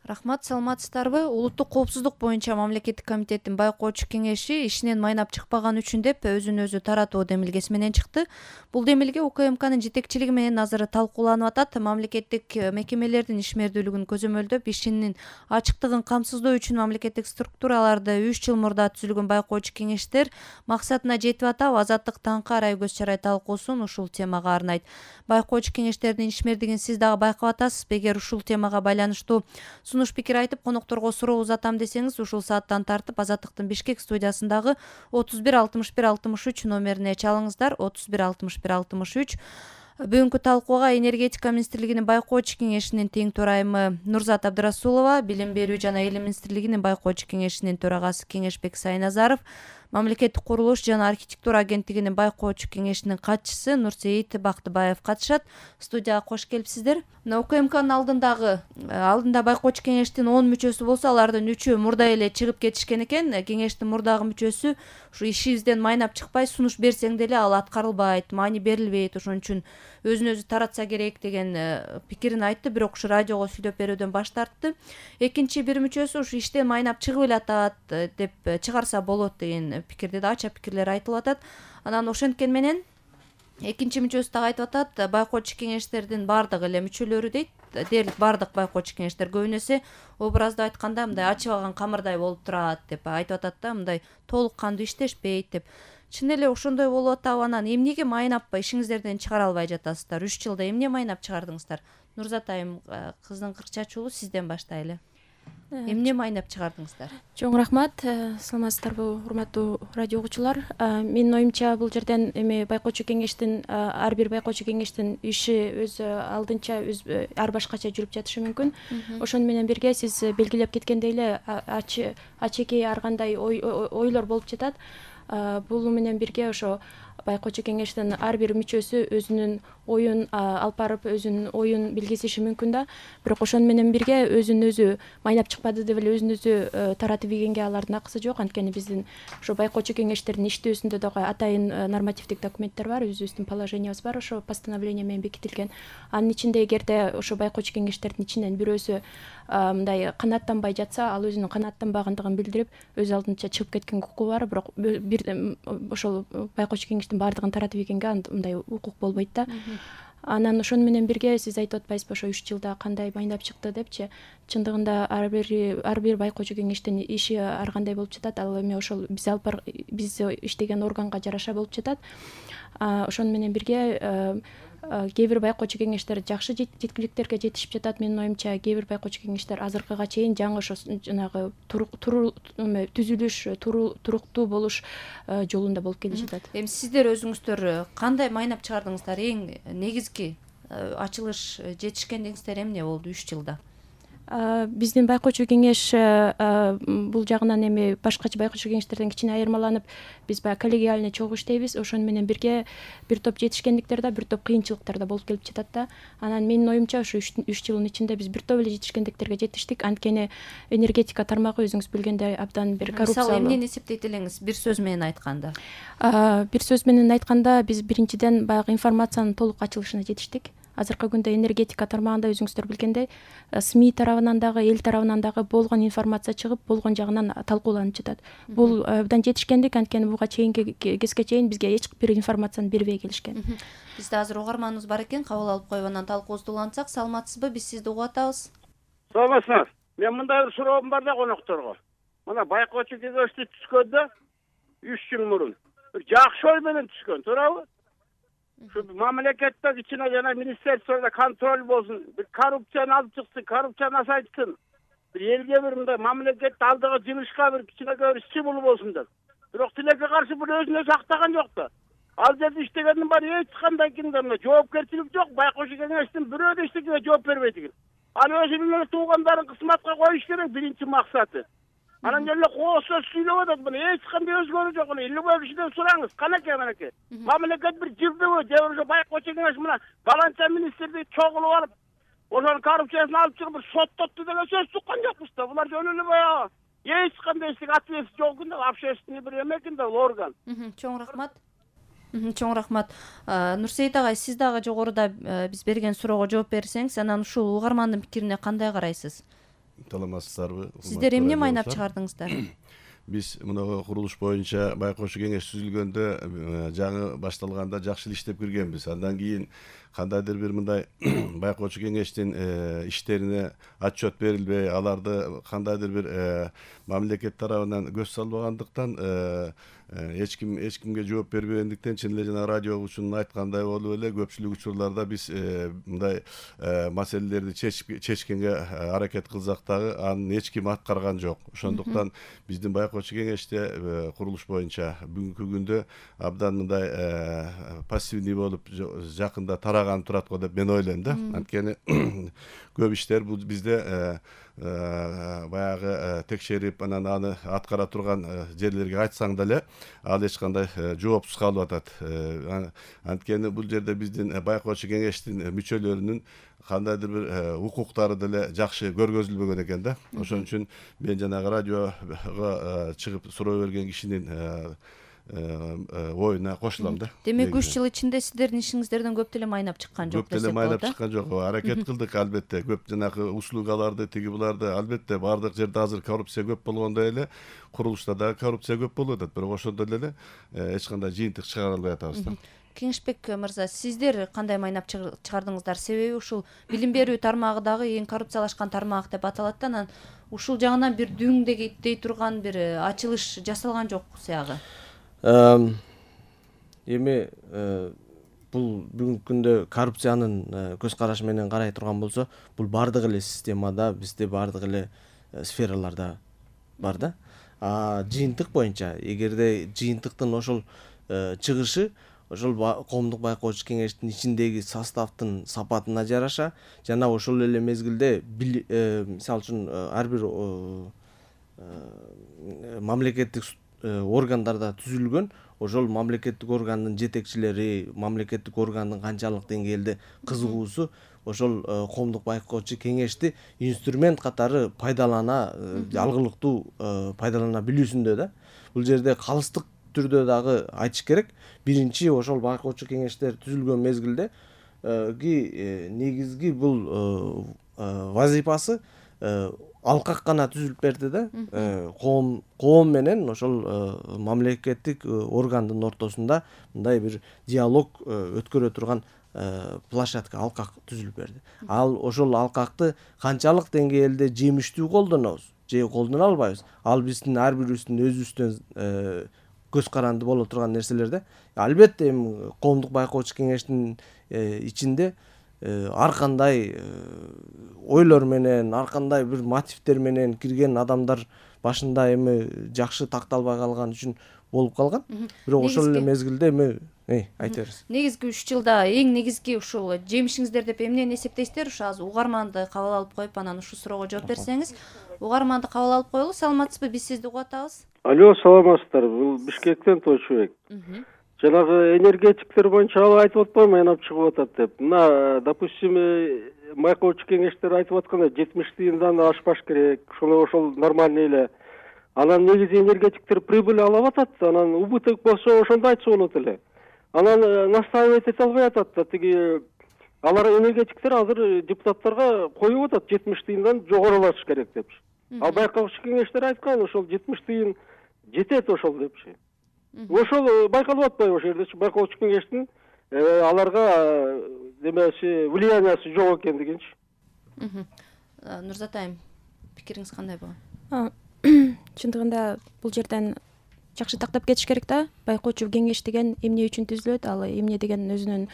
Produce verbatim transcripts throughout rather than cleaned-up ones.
Рахмат, саламатсыздарбы? Улуттук коопсуздук боюнча мамлекеттик комитеттин байкоочу кеңеши ишинен майнап чыкпаган үчүн деп өзүн өзү таратуу демилгеси менен чыкты. Бул демилге УКМКнын жетекчилиги менен азыр талкууланып атат. Мамлекеттик мекемелердин ишмердүүлүгүн көзөмөлдөп, ишинин ачыктыгын камсыздоо үчүн мамлекеттик структураларда үч жыл мурда түзүлгөн байкоочу кеңештер максатына жетип атабы? Азаттык таңкы арай көз чарай талкуусун ушул темага арнайт. Байкоочу кеңештердин ишмердигин сиз дагы байкап атасызбы? Эгер ушул темага байланыштуу сунуш пикир айтып, конокторго суроо узатам десеңиз, ушул сааттан тартып Азаттыктын Бишкек студиясындагы отуз бир алтымыш бир алтымыш үч номерине чалыңыздар. отуз бир алтымыш бир алтымыш үч. Бүгүнкү талкууга энергетика министрлигинин байкоочу кеңешинин тең төрайымы Нурзат Абдырасулова, Билим берүү жана Илим министрлигинин байкоочу кеңешинин төрагасы Кеңешбек Сайназаров, Мамлекеттик курулуш жана архитектура агенттигинин байкоочу кеңешинин катчысы Нурсейит Бактыбаев катышат. Студияга кош келипсиздер. Мына УКМКнын алдындагы алдында байкоочу кеңештин он мүчөсү болсо, алардын үчөө мурда эле чыгып кетишкен экен. Кеңештин мурдагы мүчөсү ушу ишибизден майнап чыкпай, сунуш берсең деле ал аткарылбайт, маани берилбейт, ошон үчүн өзүн өзү таратса керек деген пикирин айтты, бирок ушу радиого сүйлөп берүүдөн баш тартты. Экинчи бир мүчөсү ушу иштен майнап чыгып эле атат деп, чыгарса болот деген пикирде да ача пикирлер айтылып атат. Анан ошенткен менен экинчи мүчөсү дагы айтып атат, байкоочу кеңештердин баардыгы эле мүчөлөрү дейт, дээрлик баардык байкоочу кеңештер көбүнесе образдуу айтканда мындай ачыбаган камырдай болуп турат деп айтып атат да, мындай толук кандуу иштешпейт деп. Чын эле ошондой болуп атабы? Анан эмнеге майнап ишиңиздерден чыгара албай жатасыздар? үч жылда эмне майнап чыгардыңыздар? Нурзат айым, кыздын кырк чачуулу, сизден баштайлы. Эмне майнап чыгардыңыздар? Чоң рахмат. Саламатсыздарбы, урматтуу радио угуучулар? Менин оюмча бул жерден эми байкоочу кеңештин, ар бир байкоочу кеңештин иши өз алдынча ар башкача жүрүп жатышы мүмкүн. Ошону менен бирге сиз белгилеп кеткендей эле ачеки ар кандай ойлор болуп жатат. Бул менен бирге ошо байкоочу кеңештин ар бир мүчөсү өзүнүн оюн алып барып, өзүнүн оюн билгизиши мүмкүн да. Бирок ошону менен бирге өзүн өзү майнап чыкпады деп эле өзүн өзү таратып ийгенге алардын акысы жок. Анткени биздин ошо байкоочу кеңештердин иштөөсүндө дагы атайын нормативдик документтер бар, өзүбүздүн положениябыз бар, ошо постановление менен бекитилген. Анын ичинде эгерде ошо байкоочу кеңештердин ичинен бирөөсү мындай канааттанбай жатса, ал өзүнүн канааттанбагандыгын билдирип, өз алдынча чыгып кеткенге укугу бар. Бирок бир ошол байкоочу кеңештин баардыгын таратып ийгенге мындай укук болбойт да. Анан ошону менен бирге сиз айтып атпайсызбы, ошо үч жылда кандай майнап чыкты депчи? Чындыгында ар бир ар бир байкоочу кеңештин иши ар кандай болуп жатат. Ал эми ошол биз алып бар биз иштеген органга жараша болуп жатат. Ошону менен бирге кээ бир байкоочу кеңештер жакшы жеткиликтерге жетишип жатат. Менин оюмча кээ бир байкоочу кеңештер азыркыга чейин жаңы ошо жанагы түзүлүш, туруктуу болуш жолунда болуп келе жатат. Эми сиздер өзүңүздөр кандай майнап чыгардыңыздар? Эң негизги ачылыш жетишкендигиңиздер эмне болду үч жылда? Биздин байкоочу кеңеш бул жагынан эми башкача байкоочу кеңештерден кичине айырмаланып, биз баягы коллегиальный чогуу иштейбиз. Ошону менен бирге бир топ жетишкендиктер да, бир топ кыйынчылыктар да болуп келип жатат да. Анан менин оюмча ушу үч жылдын ичинде биз бир топ эле жетишкендиктерге жетиштик. Анткени энергетика тармагы өзүңүз билгендей абдан бир коррупциялуу. Мисалы эмнени эсептейт элеңиз бир сөз менен айтканда? Бир сөз менен айтканда биз биринчиден баягы информациянын толук ачылышына жетиштик. Азыркы күндө энергетика тармагында өзүңүздөр билгендей СМИ тарабынан дагы, эл тарабынан дагы болгон информация чыгып, болгон жагынан талкууланып жатат. Бул абдан жетишкендик, анткени буга чейинки кезге чейин бизге эч бир информацияны бербей келишкен. Бизде азыр угарманыбыз бар экен, кабыл алып коюп анан талкуубузду улантсак. Саламатсызбы? Биз сизди угуп атабыз. Саламатсызбы? Мен мындай бир суроом бар да конокторго. Мына байкоочу кеңешти түзгөндө үч жыл мурун бир жакшы ой менен түзгөн, туурабы? Şu mamlekette içine yana ministersiyonda kontrol bolsun, bir korrupsiyanı alıp çıksın, korrupsiyanı asaytsın. Bir elge bir mamlekette aldığı cılışka bir içine göre işçi bulup olsun der. Bирок тилекке каршы bunu özüne saktağın yok da. Al dedi iştegenin bari hiç çıkandan kimden cevapkerçilik yok. Baykoşu kengiştin bir öde iştekine cevap vermeydi. Al özünün tuğanların kısmatka koyuş gerek birinci maksatı. Anan gelle qoğusa süylep atat bunu. Hiç kanday özgörü yok. İlli boyu kişiden sorağınız. Kanake kanake. Mamleket bir cırdı bu. Devrici baykoşu kengiş buna. Balança ministerliği çoğulu alıp. Onların korrupsiyasını alıp çıkıp sot tuttu dene söz tutkan yokmuş da. Bunlar önünü bayağı. Hiç kanday istik atıyesi yokunda. Apşeştiğini bir emekinde organ. Çoğun rahmat. Чоң рахмат. Нурсейит агай, сиз дагы жогоруда биз берген суроого жооп берсеңиз, анан ушул угармандын пикирине кандай карайсыз? саламатсыздарбы? Сиздер эмне майнап чыгардыңыздар? Биз мына курулуш боюнча байкоочу кеңеш түзүлгөндө жаңы башталганда жакшы эле иштеп киргенбиз. Андан кийин кандайдыр бир мындай байкоочу кеңештин иштерине отчет берилбей, аларды кандайдыр бир мамлекет тарабынан көз салбагандыктан, эч ким эч кимге жооп бербегендиктен, чын эле жана радио учунун айткандай болуп эле көпчүлүк учурларда биз мындай маселелерди чечкенге аракет кылсак дагы аны эч ким аткарган жок. Ошондуктан биздин байкоочу кеңеште курулуш боюнча бүгүнкү күндө абдан мындай пассивный болуп жакында тараган турат го деп мен ойлойм да. Анткени көп иштер бул бизде баягы текшерип анан аны аткара турган жерлерге айтсаң деле ал эч кандай жоопсуз калып атат. Анткени бул жерде биздин байкоочу кеңештин мүчөлөрүнүн кандайдыр бир укуктары деле жакшы көргөзүлбөгөн экен да. Ошон үчүн мен жанагы радиого чыгып суроо берген кишинин оюна кошулам да. Демек үч жыл ичинде сиздердин ишиңиздерден көп деле майнап чыккан жок десек болот. Көп деле майнап чыккан жок. Аракет кылдык албетте. Көп жанагы услугаларды, тиги буларды албетте бардык жерде азыр коррупция көп болгондой эле курулушта да коррупция көп болуп атат. Бирок ошондой эле эч кандай жыйынтык чыгара албай атабыз да. Кеңешбек мырза, сиздер кандай майнап чыгардыңыздар? Себеби ушул билим берүү тармагы дагы эң коррупциялашкан тармак деп аталат да, анан ушул жагынан бир дүңдей турган бир ачылыш жасалган жок сыягы. Эми бул бүгүнкү күндө коррупциянын көз карашы менен карай турган болсо, бул бардык эле системада, бизде бардык эле сфераларда бар да. А жыйынтык боюнча, эгерде жыйынтыктын ошол чыгышы ошол коомдук байкоочу кеңештин ичиндеги составдын сапатына жараша жана ошол эле мезгилде мисалы үчүн ар бир мамлекеттик органдарда түзүлгөн ошол мамлекеттик органдын жетекчилери, мамлекеттик органдын канчалык деңгээлде кызыгуусу ошол коомдук байкоочу кеңешти инструмент катары пайдалана, алгылыктуу пайдалана билүүсүндө да. Бул жерде калыстык түрдө дагы айтыш керек. Биринчи ошол байкоочу кеңештер түзүлгөн мезгилде негизги бул вазифасы алкак гана түзүлүп берди да. Коом коом менен ошол мамлекеттик органдын ортосунда мындай бир диалог өткөрө турган площадка, алкак түзүлүп берди. Ал ошол алкакты канчалык деңгээлде жемиштүү колдонобуз же колдоно албайбыз, ал биздин ар бирибиздин өзүбүздөн көз каранды боло турган нерселер да. Албетте эми коомдук байкоочу кеңештин ичинде ар кандай ойлор менен, ар кандай бир мотивдер менен кирген адамдар башында эми жакшы такталбай калган үчүн болуп калган. Бирок ошол эле мезгилде эми айта бериңиз. Негизги үч жылда эң негизги ушул жемишиңиздер деп эмнени эсептейсиздер? Ушу азыр угарманды кабыл алып коюп, анан ушул суроого жооп берсеңиз. Угарманды кабыл алып коелу. Саламатсызбы? Биз сизди угуп атабыз. Алло, саламатсыздар. Бул Бишкектен Тойчубек. Жанагы энергетиктер боюнча ал айтып атпайбы, майнап чыгып атат деп. Мына, допустим, байкоочу кеңештер айтып атканда жетимиш тыйындан ашпаш керек. Ошол ошол нормальный эле. Анан негизи энергетиктер прибыль алып атат, анан убыток болсо ошондо айтса болот эле. Анан настаивать эте албай атат да, тиги алар энергетиктер азыр депутаттарга коюп атат жетимиш тыйындан жогорулатыш керек депчи. Ал байкоочу кеңештер айткан ошол жетимиш тыйын жетет ошол депчи. Ошол байкалып атпайбы ошол жерде байкоочу кеңештин аларга демеси влияниясы жок экендигинчи. Нурзат айым, пикириңиз кандай болгон? Чындыгында бул жерден жакшы тактап кетиш керек да. Байкоочу кеңеш деген эмне үчүн түзүлөт, ал эмне деген өзүнүн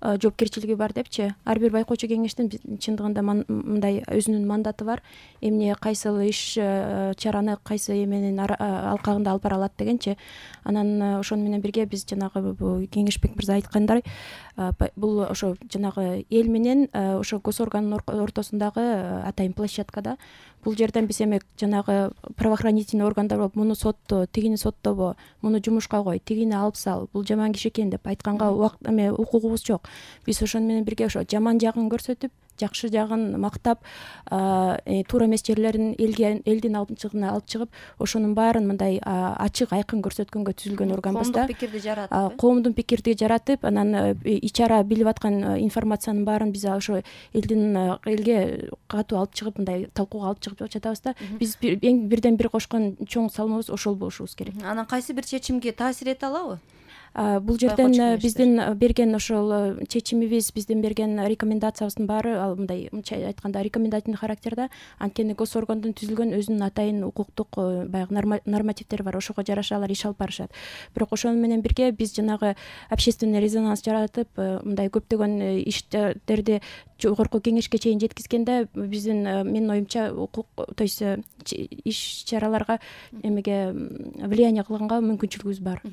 жоопкерчилиги бар депчи. Ар бир байкоочу кеңештин чындыгында мындай өзүнүн мандаты бар. Эмне кайсыл иш чараны кайсы эменин алкагында алып бара алат дегенчи. Анан ошону менен бирге биз жанагы Кеңешбек мырза айткандай бул ошо жанагы эл менен ошо гос органдын ортосундагы атайын площадкада. Бул жерден биз эми жанагы правоохранительный органдар болуп муну сотто, тигини соттобо, муну жумушка кой, тигини алып сал, бул жаман киши экен деп айтканга эме укугубуз жок. Биз ошону менен бирге ошо жаман жагын көрсөтүп, жакшы жагын мактап, туура эмес жерлерин элге элдин алдына алып чыгып, ошонун баарын мындай ачык айкын көрсөткөнгө түзүлгөн органбыз да. Коомдук пикирди жаратып, коомдун пикирди жаратып, анан ич ара билип аткан информациянын баарын биз ошо элдин элге катуу алып чыгып, мындай талкууга алып чыгып жатабыз да. Биз эң бирден бир кошкон чоң салмыбыз ошол болушубуз керек. Анан кайсы бир чечимге таасир эте алабы? Бул жерден биздин берген ошол чечимибиз, биздин берген рекомендациябыздын баары ал мындай мынча айтканда рекомендательный характерде. Анткени гос органдын түзүлгөн өзүнүн атайын укуктук баягы нормативдери бар, ошого жараша алар иш алып барышат. Бирок ошону менен бирге биз жанагы общественный резонанс жаратып, мындай көптөгөн иштерди жогорку кеңешке чейин жеткизгенде биздин менин оюмча укук, то есть иш чараларга эмеге влияние кылганга мүмкүнчүлүгүбүз бар.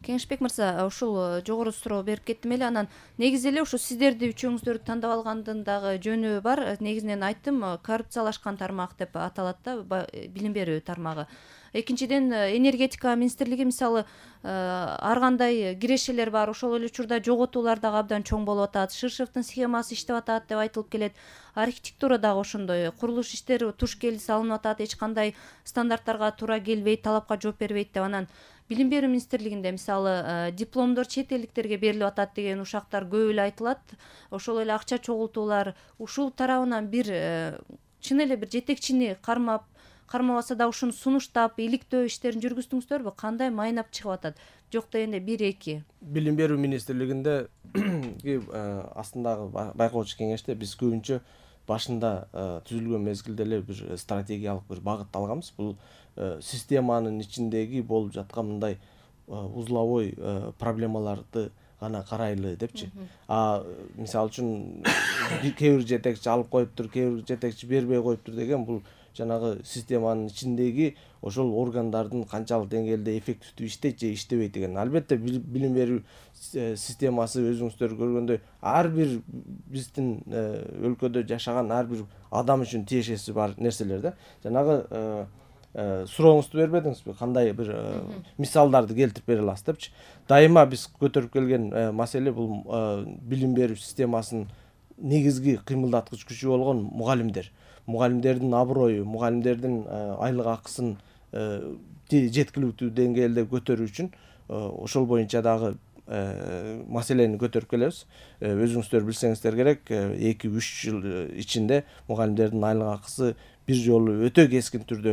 Кеңешбек мырза, ушул жогору суроо берип кеттим эле. Анан негизи эле ушу сиздерди үчөөңүздөрдү тандап алгандын дагы жөнү бар. Негизинен айттым, коррупциялашкан тармак деп аталат да, билим берүү тармагы. Экинчиден, энергетика министрлиги мисалы ар кандай кирешелер бар, ошол эле учурда жоготуулар дагы абдан чоң болуп атат. Ширшевдин схемасы иштеп атат деп айтылып келет. Архитектура дагы ошондой, курулуш иштери туш кел салынып атат, эч кандай стандарттарга туура келбейт, талапка жооп бербейт деп. Анан билим берүү министрлигинде мисалы дипломдор чет элдиктерге берилип атат деген ушактар көп эле айтылат. Ошол эле акча чогултуулар, ушул тарабынан бир чын эле бир жетекчини кармап, кармабаса да ушуну сунуштап, иликтөө иштерин жүргүздүңүздөрбү? Кандай майнап чыгып атат? Жок дегенде бир эки. Билим берүү министрлигинде астындагы байкоочу кеңеште биз көбүнчө башында түзүлгөн мезгилде эле бир стратегиялык бир багыт алганбыз. Бул системанын ичиндеги болуп жаткан мындай узловой проблемаларды гана карайлы депчи. А мисалы үчүн кээ бир жетекчи алып коюптур, кээ бир жетекчи бербей коюптур деген бул жанагы системанын ичиндеги ошол органдардын канчалык деңгээлде эффективдүү иштейт же иштебейт деген. Албетте билим берүү системасы өзүңүздөр көргөндөй ар бир биздин өлкөдө жашаган ар бир адам үчүн тиешеси бар нерселер да. Жанагы сурооңузду бербедиңизби? Кандай бир мисалдарды келтирип бере аласыз депчи. Дайыма биз көтөрүп келген маселе бул билим берүү системасынын негизги кыймылдаткыч күчү болгон мугалимдер. Мугалимдердин аброю, мугалимдердин айлык акысын жеткиликтүү деңгээлде көтөрүү үчүн ошол боюнча дагы маселени көтөрүп келебиз. Өзүңүздөр билсеңиздер керек, эки үч жыл ичинде мугалимдердин айлык акысы бир жолу өтө кескин түрдө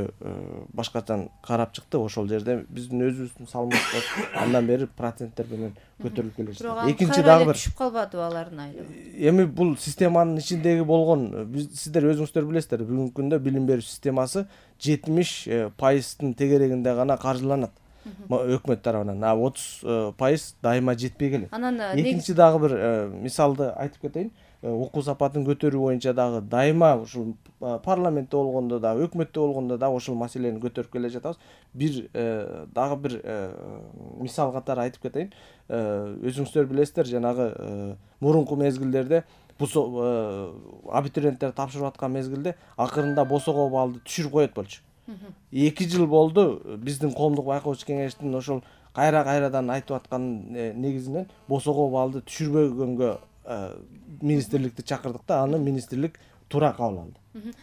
башкача карап чыкты. Ошол жерде биздин өзүбүздүн салымыбыз андан бери проценттер менен көтөрүлүп келе жатат. Экинчи дагы бир түшүп калбадыбы алардын айлыгы? Эми бул системанын ичиндеги болгон, сиздер өзүңүздөр билесиздер, бүгүнкү күндө билим берүү системасы жетимиш пайыздын тегерегинде гана каржыланат өкмөт тарабынан. А отуз пайыз дайыма жетпей келет. Экинчи дагы бир мисалды айтып кетейин. Окуу сапатын көтөрүү боюнча дагы дайыма ушул парламентте болгондо да, өкмөттө болгондо да ошол маселени көтөрүп келе жатабыз. Бир дагы бир мисал катары айтып кетейин. Өзүңүздөр билесиздер, жанагы мурунку мезгилдерде абитуриенттер тапшырып аткан мезгилде акырында босого баллды түшүрүп коет болчу. эки жыл болду биздин коомдук байкоочу кеңештин ошол кайра-кайрадан айтып аткан негизинен босого баллды түшүрбөгөнгө министрликти чакырдык да, аны министрлик туура кабыл алды.